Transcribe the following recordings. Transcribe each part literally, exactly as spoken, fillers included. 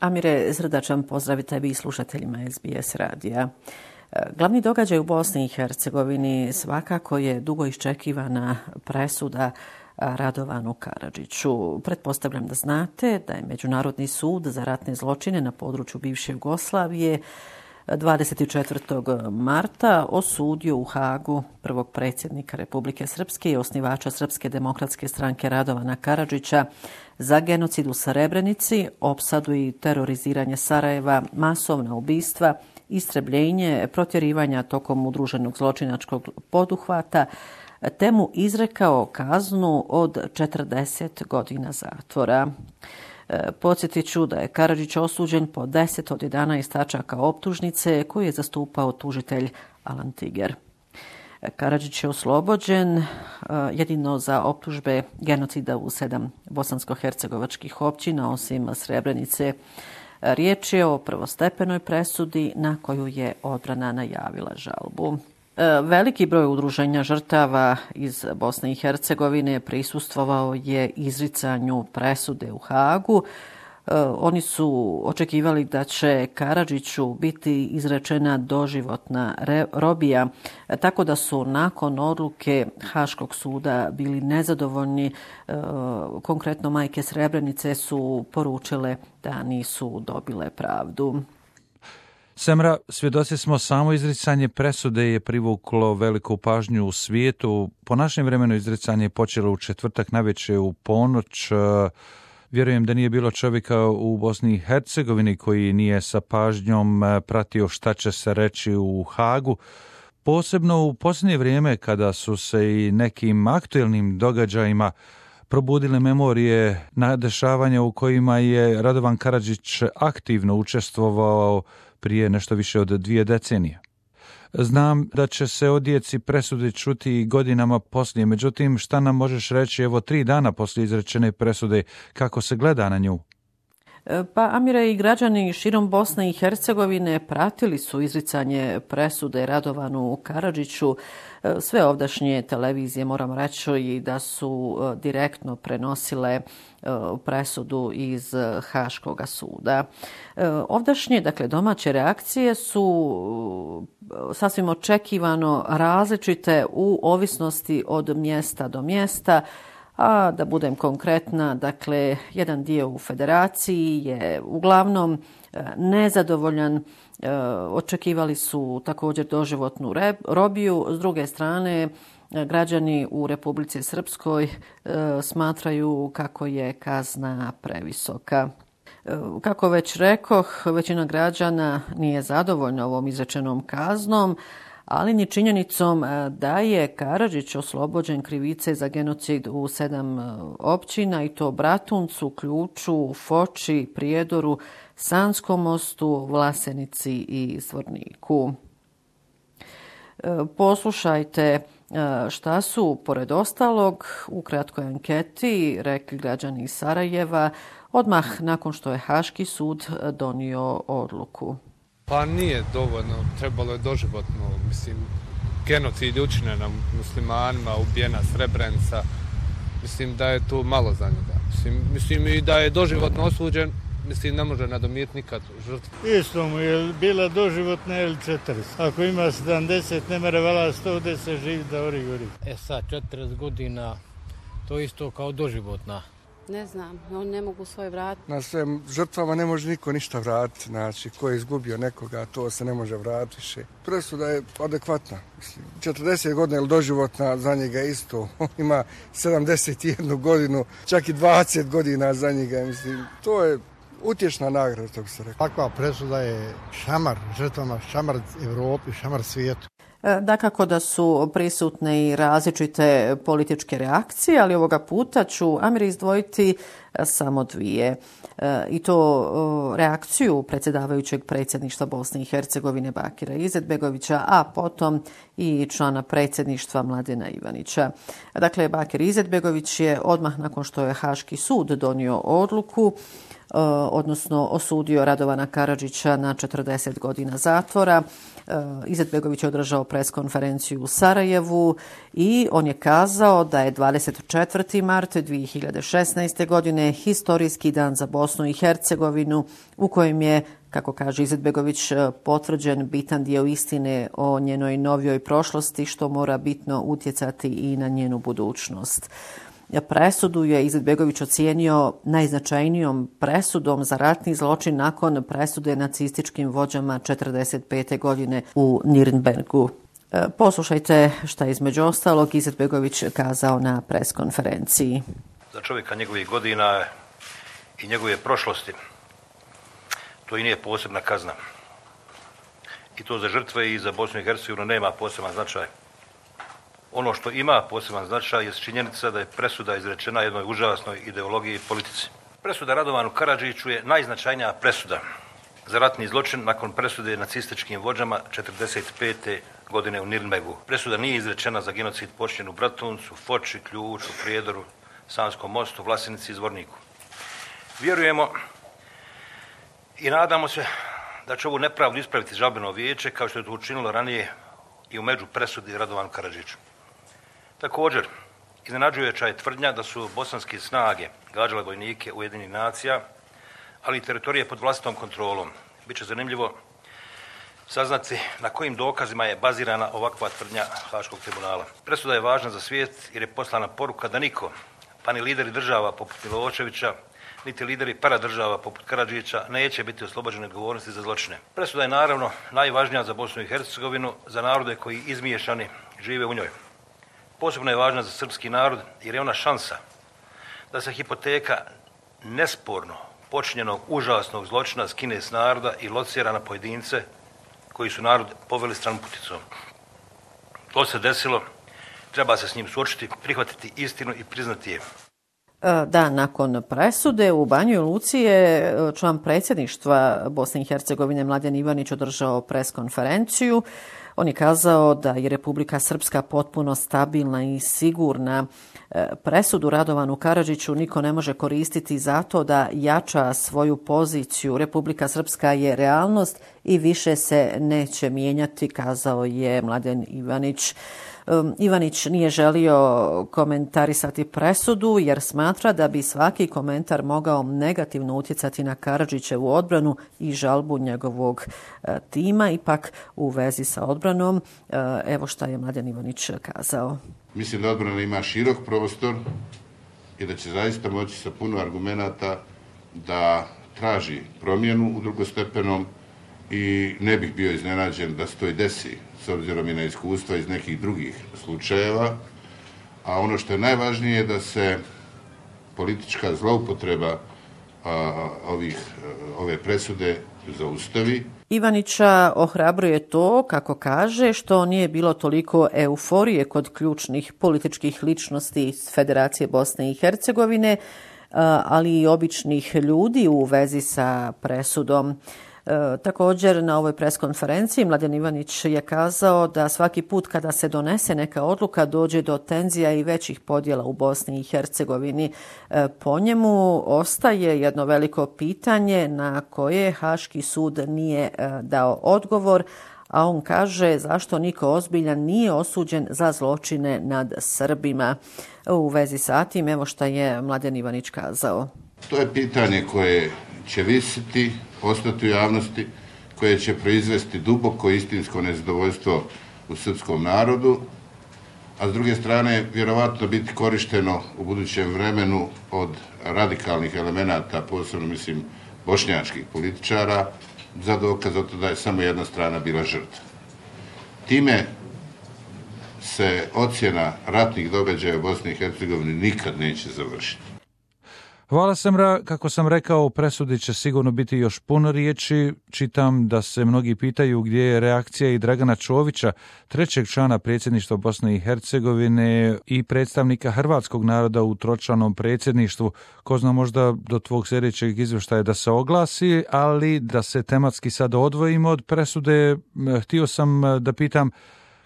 Amire, srdačan pozdrav tebi i slušateljima S B S radija. Glavni događaj u Bosni i Hercegovini svakako je dugo iščekivana presuda Radovanu Karadžiću. Pretpostavljam da znate da je Međunarodni sud za ratne zločine na području bivše Jugoslavije dvadeset četvrtog marta osudio u Hagu prvog predsjednika Republike Srpske i osnivača Srpske demokratske stranke Radovana Karadžića za genocid u Srebrenici, opsadu i teroriziranje Sarajeva, masovna ubistva, istrebljenje, protjerivanja tokom udruženog zločinačkog poduhvata, te mu izrekao kaznu od četrdeset godina zatvora. Podsjetit ću da je Karadžić osuđen po deset od jedanaest tačaka optužnice koju je zastupao tužitelj Alan Tiger. Karadžić je oslobođen jedino za optužbe genocida u sedam bosansko-hercegovačkih općina osim Srebrenice. Riječ je o prvostepenoj presudi na koju je odbrana najavila žalbu. Veliki broj udruženja žrtava iz Bosne i Hercegovine prisustvovao je izricanju presude u Hagu. Oni su očekivali da će Karadžiću biti izrečena doživotna robija, tako da su nakon odluke Haškog suda bili nezadovoljni. Konkretno majke Srebrenice su poručile da nisu dobile pravdu. Semra, svjedoci smo, samo izricanje presude je privuklo veliku pažnju u svijetu. Po našem vremenu izricanje je počelo u četvrtak navečer u ponoć. Vjerujem da nije bilo čovjeka u Bosni i Hercegovini koji nije sa pažnjom pratio šta će se reći u Hagu. Posebno u posljednje vrijeme kada su se i nekim aktuelnim događajima probudile memorije na dešavanja u kojima je Radovan Karadžić aktivno učestvovao prije nešto više od dvije decenije. Znam da će se o djeci presudi čuti godinama poslije, međutim šta nam možeš reći evo tri dana poslije izrečene presude, kako se gleda na nju? Pa Amire, i građani širom Bosne i Hercegovine pratili su izricanje presude Radovanu Karadžiću. Sve ovdašnje televizije, moram reći, i da su direktno prenosile presudu iz Haškoga suda. Ovdašnje, dakle, domaće reakcije su sasvim očekivano različite u ovisnosti od mjesta do mjesta. A da budem konkretna, dakle, jedan dio u federaciji je uglavnom nezadovoljan. Očekivali su također doživotnu robiju. S druge strane, građani u Republici Srpskoj smatraju kako je kazna previsoka. Kako već rekoh, većina građana nije zadovoljna ovom izrečenom kaznom, ali ni činjenicom da je Karadžić oslobođen krivice za genocid u sedam općina, i to Bratuncu, Ključu, Foči, Prijedoru, Sanskom mostu, Vlasenici i Zvorniku. Poslušajte šta su, pored ostalog, u kratkoj anketi rekli građani iz Sarajeva odmah nakon što je Haški sud donio odluku. Pa nije dovoljno, trebalo je doživotno, mislim, genocid učinjen na muslimanima, ubijena Srebrenica, mislim da je tu malo za njega. Mislim, mislim i da je doživotno osuđen, mislim ne može nadomijeti nikad žrtvu. Isto mu je bila doživotna ili četrdeset. Ako ima sedamdeset, ne mere vala sto deset živi da ori gori. E sad, četrdeset godina, to isto kao doživotna. Ne znam, oni ne mogu svoj vratiti. Na svim žrtvama ne može niko ništa vratiti, znači ko je izgubio nekoga, to se ne može vratiti više. Presuda je adekvatna, mislim, četrdeset godina ili doživotna za njega isto, ima sedamdeset jednu godinu, čak i dvadeset godina za njega, mislim, to je utješna nagrada, to bi se rekao. Takva presuda je šamar žrtvama, šamar Evropi, šamar svijetu. Dakako da su prisutne i različite političke reakcije, ali ovoga puta ću, Amir, izdvojiti samo dvije. I to reakciju predsjedavajućeg predsjedništva Bosne i Hercegovine Bakira Izetbegovića, a potom i člana predsjedništva Mladena Ivanića. Dakle, Bakir Izetbegović je odmah nakon što je Haški sud donio odluku odnosno osudio Radovana Karadžića na četrdeset godina zatvora. Izetbegović je održao preskonferenciju u Sarajevu i on je kazao da je dvadeset četvrti mart dvije hiljade šesnaeste. godine historijski dan za Bosnu i Hercegovinu u kojem je, kako kaže Izetbegović, potvrđen bitan dio istine o njenoj novijoj prošlosti što mora bitno utjecati i na njenu budućnost. Presudu je Izetbegović ocijenio najznačajnijom presudom za ratni zločin nakon presude nacističkim vođama četrdeset pete. godine u Nirnbergu. Poslušajte šta je između ostalog Izetbegović kazao na preskonferenciji. Za čovjeka njegovih godina i njegove prošlosti to i nije posebna kazna. I to za žrtve i za Bosnu i Hercegovinu nema poseban značaj. Ono što ima poseban značaj je činjenica da je presuda izrečena jednoj užasnoj ideologiji i politici. Presuda Radovanu Karadžiću je najznačajnija presuda za ratni zločin nakon presude nacističkim vođama četrdeset pete. godine u Nirnbergu. Presuda nije izrečena za genocid počinjen u Bratuncu, Foči, Ključu, Prijedoru, Sanskom mostu, Vlasenici i Zvorniku. Vjerujemo i nadamo se da će ovu nepravdu ispraviti žalbeno vijeće kao što je to učinilo ranije i u među presudi Radovanu Karadžiću. Također, iznenađujuća je tvrdnja da su bosanske snage gađale vojnike Ujedinjenih nacija, ali i teritorije pod vlastitom kontrolom. Biće zanimljivo saznati na kojim dokazima je bazirana ovakva tvrdnja Haškog tribunala. Presuda je važna za svijet jer je poslana poruka da niko, pa ni lideri država poput Miloševića, niti lideri paradržava poput Karadžića neće biti oslobođeni odgovornosti za zločine. Presuda je naravno najvažnija za Bosnu i Hercegovinu, za narode koji izmiješani žive u njoj. Posebno je važna za srpski narod jer je ona šansa da se hipoteka nesporno počinjenog užasnog zločina skine s naroda i locira na pojedince koji su narod poveli stranputicom. To se desilo, treba se s njim suočiti, prihvatiti istinu i priznati je. Da, nakon presude u Banjoj Luci je član predsjedništva Bosne i Hercegovine Mladen Ivanić održao preskonferenciju. On je kazao da je Republika Srpska potpuno stabilna i sigurna. Presudu Radovanu Karadžiću niko ne može koristiti zato da jača svoju poziciju. Republika Srpska je realnost i više se neće mijenjati, kazao je Mladen Ivanić. Ivanić nije želio komentarisati presudu jer smatra da bi svaki komentar mogao negativno utjecati na Karadžićevu odbranu i žalbu njegovog tima. Ipak u vezi sa odbranom, evo šta je Mladen Ivanić kazao. Mislim da odbrana ima širok prostor i da će zaista moći sa puno argumenata da traži promjenu u drugostepenom i ne bih bio iznenađen da se to i desi s obzirom i na iskustva iz nekih drugih slučajeva, a ono što je najvažnije je da se politička zloupotreba a, ovih, ove presude zaustavi. Ivanića ohrabruje to, kako kaže, što nije bilo toliko euforije kod ključnih političkih ličnosti iz Federacije Bosne i Hercegovine, ali i običnih ljudi u vezi sa presudom. E, također na ovoj preskonferenciji Mladen Ivanić je kazao da svaki put kada se donese neka odluka dođe do tenzija i većih podjela u Bosni i Hercegovini. E, po njemu ostaje jedno veliko pitanje na koje Haški sud nije e, dao odgovor, a on kaže zašto niko ozbiljan nije osuđen za zločine nad Srbima. U vezi sa tim, evo šta je Mladen Ivanić kazao. To je pitanje koje će visiti, ostati u javnosti, koje će proizvesti duboko istinsko nezadovoljstvo u srpskom narodu, a s druge strane vjerovatno biti korišteno u budućem vremenu od radikalnih elemenata, posebno mislim bošnjačkih političara, za dokaz o to da je samo jedna strana bila žrtva. Time se ocjena ratnih događaja u Bosni i Hercegovini nikad neće završiti. Hvala Semra, kako sam rekao, u presudi će sigurno biti još puno riječi. Čitam da se mnogi pitaju gdje je reakcija i Dragana Čovića, trećeg člana predsjedništva Bosne i Hercegovine i predstavnika hrvatskog naroda u tročlanom predsjedništvu. Ko zna, možda do tvog sljedećeg izvještaja da se oglasi, ali da se tematski sad odvojimo od presude. Htio sam da pitam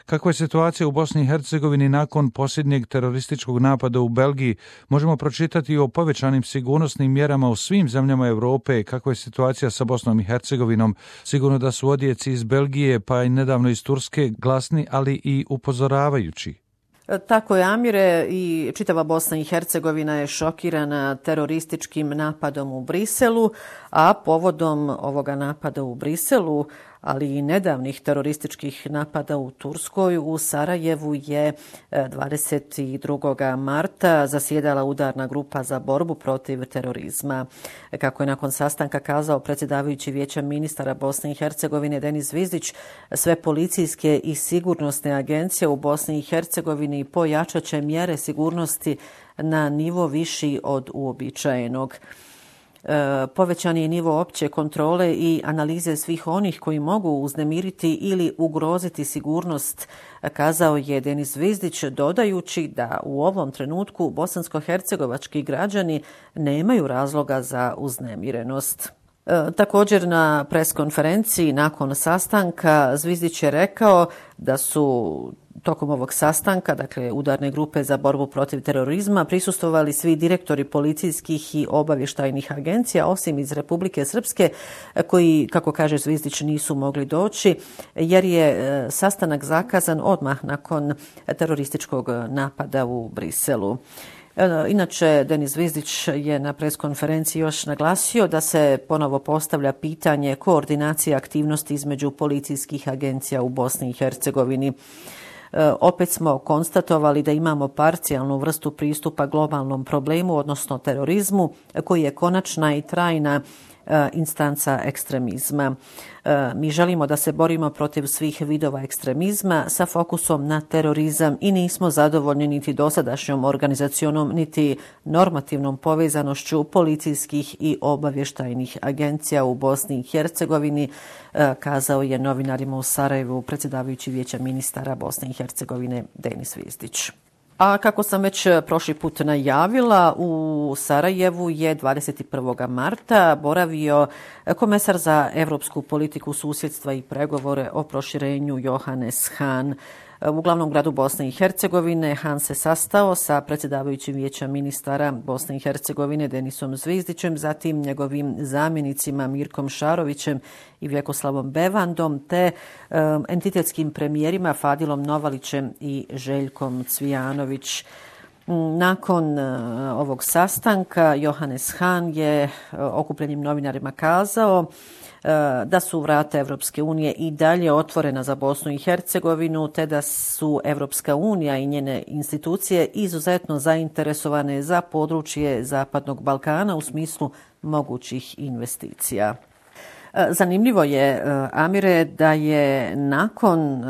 Kakva je situacija u Bosni i Hercegovini nakon posljednjeg terorističkog napada u Belgiji? Možemo pročitati o povećanim sigurnosnim mjerama u svim zemljama Europe. Kakva je situacija sa Bosnom i Hercegovinom? Sigurno da su odjeci iz Belgije pa i nedavno iz Turske glasni, ali i upozoravajući. Tako je, Amire, i čitava Bosna i Hercegovina je šokirana terorističkim napadom u Briselu, a povodom ovoga napada u Briselu, ali i nedavnih terorističkih napada u Turskoj, u Sarajevu je dvadeset drugog marta zasjedala udarna grupa za borbu protiv terorizma. Kako je nakon sastanka kazao predsjedavajući Vijeća ministara Bosne i Hercegovine Denis Zvizdić, sve policijske i sigurnosne agencije u Bosni i Hercegovini pojačat će mjere sigurnosti na nivo viši od uobičajenog. Povećan je nivo opće kontrole i analize svih onih koji mogu uznemiriti ili ugroziti sigurnost, kazao je Denis Zvizdić, dodajući da u ovom trenutku bosansko-hercegovački građani nemaju razloga za uznemirenost. Također na preskonferenciji nakon sastanka Zvizdić je rekao da su tokom ovog sastanka, dakle udarne grupe za borbu protiv terorizma, prisustvovali svi direktori policijskih i obavještajnih agencija, osim iz Republike Srpske, koji, kako kaže Zvizdić, nisu mogli doći, jer je sastanak zakazan odmah nakon terorističkog napada u Briselu. Inače, Denis Zvizdić je na preskonferenciji još naglasio da se ponovo postavlja pitanje koordinacije aktivnosti između policijskih agencija u Bosni i Hercegovini. Opet smo konstatovali da imamo parcijalnu vrstu pristupa globalnom problemu, odnosno terorizmu, koji je konačna i trajna instanca ekstremizma. Mi želimo da se borimo protiv svih vidova ekstremizma sa fokusom na terorizam i nismo zadovoljni niti dosadašnjom organizacionom, niti normativnom povezanošću policijskih i obavještajnih agencija u Bosni i Hercegovini, kazao je novinarima u Sarajevu predsjedavajući Vijeća ministara Bosne i Hercegovine Denis Zvizdić. A kako sam već prošli put najavila, u Sarajevu je dvadeset prvog marta boravio komesar za europsku politiku susjedstva i pregovore o proširenju Johannes Hahn. U glavnom gradu Bosne i Hercegovine Hahn se sastao sa predsjedavajućim Vijeća ministara Bosne i Hercegovine Denisom Zvizdićem, zatim njegovim zamjenicima Mirkom Šarovićem i Vjekoslavom Bevandom, te um, entitetskim premijerima Fadilom Novalićem i Željkom Cvijanović. Nakon uh, ovog sastanka Johannes Hahn je uh, okupljenim novinarima kazao da su vrata Evropske unije i dalje otvorena za Bosnu i Hercegovinu, te da su Evropska unija i njene institucije izuzetno zainteresovane za područje Zapadnog Balkana u smislu mogućih investicija. Zanimljivo je, Amire, da je nakon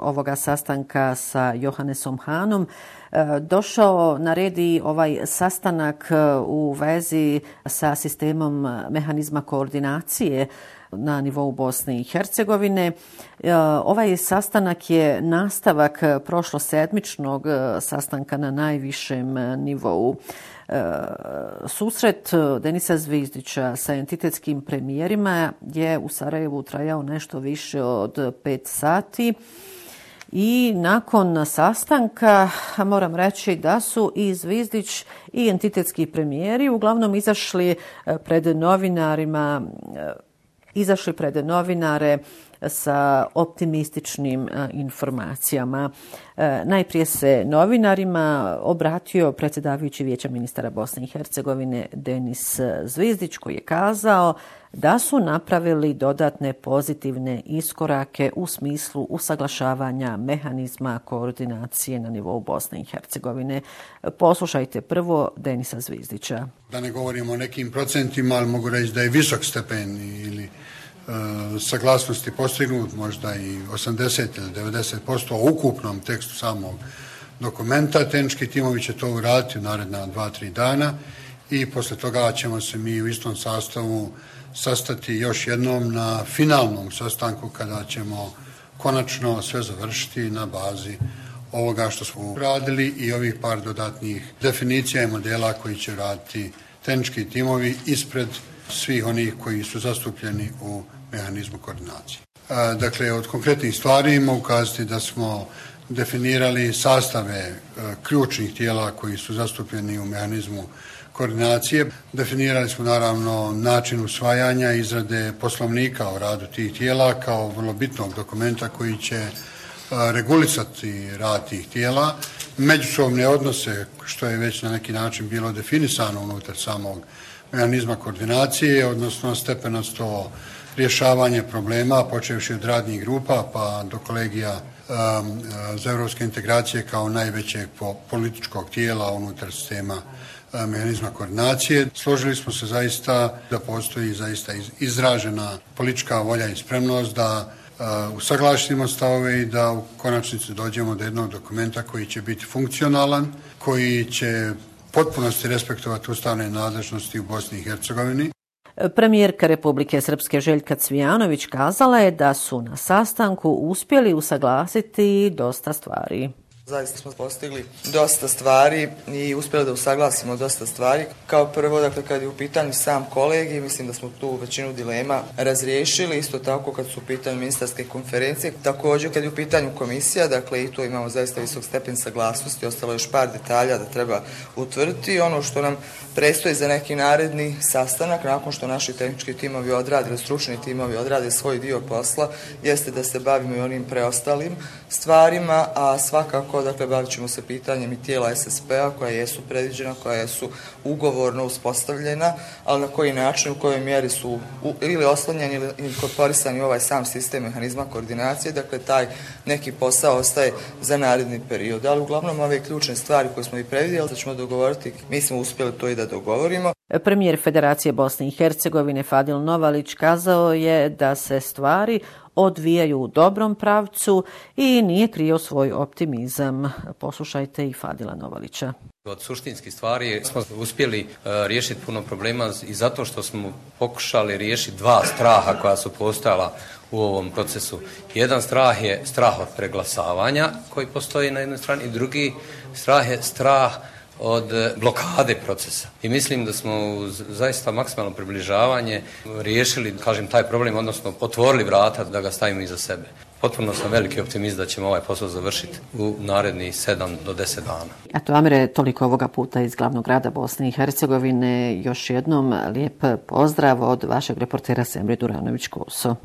ovoga sastanka sa Johannesom Hahnom došao na red i ovaj sastanak u vezi sa sistemom mehanizma koordinacije na nivou Bosne i Hercegovine. Ovaj sastanak je nastavak prošlosedmičnog sastanka na najvišem nivou. Susret Denisa Zvizdića sa entitetskim premijerima je u Sarajevu trajao nešto više od pet sati. I nakon sastanka moram reći da su i Zvizdić i entitetski premijeri uglavnom izašli pred novinarima, izašli pred novinare sa optimističnim informacijama. Najprije se novinarima obratio predsjedavajući Vijeća ministara Bosne i Hercegovine Denis Zvizdić, koji je kazao da su napravili dodatne pozitivne iskorake u smislu usaglašavanja mehanizma koordinacije na nivou Bosne i Hercegovine. Poslušajte prvo Denisa Zvizdića. Da ne govorimo o nekim procentima, ali mogu reći da je visok stepen ili saglasnosti postignut, možda i osamdeset ili devedeset posto u ukupnom tekstu samog dokumenta. Tehnički timovi će to uraditi u naredna dva, tri dana i posle toga ćemo se mi u istom sastavu sastati još jednom na finalnom sastanku kada ćemo konačno sve završiti na bazi ovoga što smo uradili i ovih par dodatnih definicija i modela koji će raditi tehnički timovi ispred svih onih koji su zastupljeni u mehanizmu koordinacije. Dakle, od konkretnih stvari ima ukazati da smo definirali sastave ključnih tijela koji su zastupljeni u mehanizmu koordinacije. Definirali smo naravno način usvajanja, izrade poslovnika o radu tih tijela kao vrlo bitnog dokumenta koji će regulisati rad tih tijela, međusobne odnose, što je već na neki način bilo definisano unutar samog mehanizma koordinacije, odnosno stepenasto rješavanje problema, počevši od radnih grupa pa do kolegija um, za evropske integracije kao najvećeg političkog tijela unutar sistema um, mehanizma koordinacije. Složili smo se zaista da postoji zaista izražena politička volja i spremnost da uh, usaglasimo stavove i da u konačnici dođemo do jednog dokumenta koji će biti funkcionalan, koji će potpunosti respektovati ustavne nadležnosti u Bosni i Hercegovini. Premijerka Republike Srpske Željka Cvijanović kazala je da su na sastanku uspjeli usaglasiti dosta stvari. Zaista smo postigli dosta stvari i uspjeli da usaglasimo dosta stvari. Kao prvo, dakle, kad je u pitanju sam kolegij, mislim da smo tu većinu dilema razriješili, isto tako kad su u pitanju ministarske konferencije. Također, kad je u pitanju komisija, dakle, i tu imamo zaista visok stepen saglasnosti, ostalo je još par detalja da treba utvrditi. Ono što nam predstoji za neki naredni sastanak, nakon što naši tehnički timovi odrade, stručni timovi odrade svoj dio posla, jeste da se bavimo i onim preostalim stvarima, a svakako dakle, bavit ćemo se pitanjem i tijela S S P-a koja jesu predviđena, koja su ugovorno uspostavljena, ali na koji način, u kojoj mjeri su u, ili oslonjeni ili inkorporisani u ovaj sam sistem mehanizma koordinacije, dakle taj neki posao ostaje za naredni period. Ali uglavnom ove ključne stvari koje smo i predvidjeli da ćemo dogovoriti, mi smo uspjeli to i da dogovorimo. Premijer Federacije Bosne i Hercegovine Fadil Novalić kazao je da se stvari odvijaju u dobrom pravcu i nije krio svoj optimizam. Poslušajte i Fadila Novalića. Od suštinskih stvari smo uspjeli uh, riješiti puno problema i zato što smo pokušali riješiti dva straha koja su postojala u ovom procesu. Jedan strah je strah od preglasavanja koji postoji na jednoj strani i drugi strah je strah od blokade procesa. I mislim da smo uz zaista maksimalno približavanje riješili, kažem, taj problem, odnosno otvorili vrata da ga stavimo iza sebe. Potpuno sam veliki optimist da ćemo ovaj posao završiti u narednih sedam do deset dana. Eto, Amire, toliko ovoga puta iz glavnog grada Bosne i Hercegovine. Još jednom lijep pozdrav od vašeg reportera Semre Duranović-Koso.